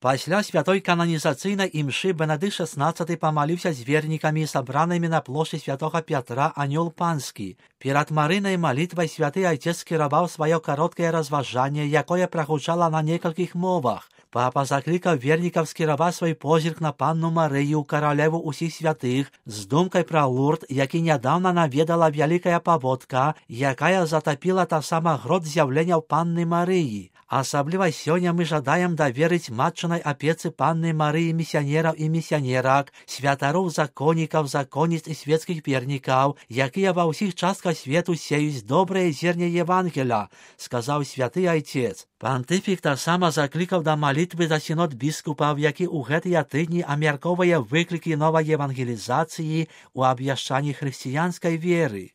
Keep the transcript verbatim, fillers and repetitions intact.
Пасля святой канонізацыйнай імшы Бенедыкт шестнадцаты памаліўся з вернікамі, сабранымі на плошчы святога Пятра, анёл панскі. Перад марынай малітвай святы айцец скіраваў сваё кароткае разважанне, якое прагучала на некалькіх мовах. Папа заклікаў вернікаў скіраваць свой позірк на панну Марыю, каралеву ўсіх святых, з думкай пра Лурд, які нядаўна наведала вялікая паводка, якая затапіла таксама грот з'яўленняў панны Марыі. Асабліва сёння мы жадаем даверыць матчынай апецы панны Марыі місіянераў і місіянерак, святароў, законнікаў, законніц і светскіх вернікаў, якія ва ўсіх частках свету сеюць добрае зерне Евангеля, сказаў святы айцец. Пантыфік таксама заклікаў да малітвы за сінод біскупаў, які ў гэтыя тыдні абмяркоўвае выклікі новай евангелізацыі ў абвяшчанні хрысціянскай веры.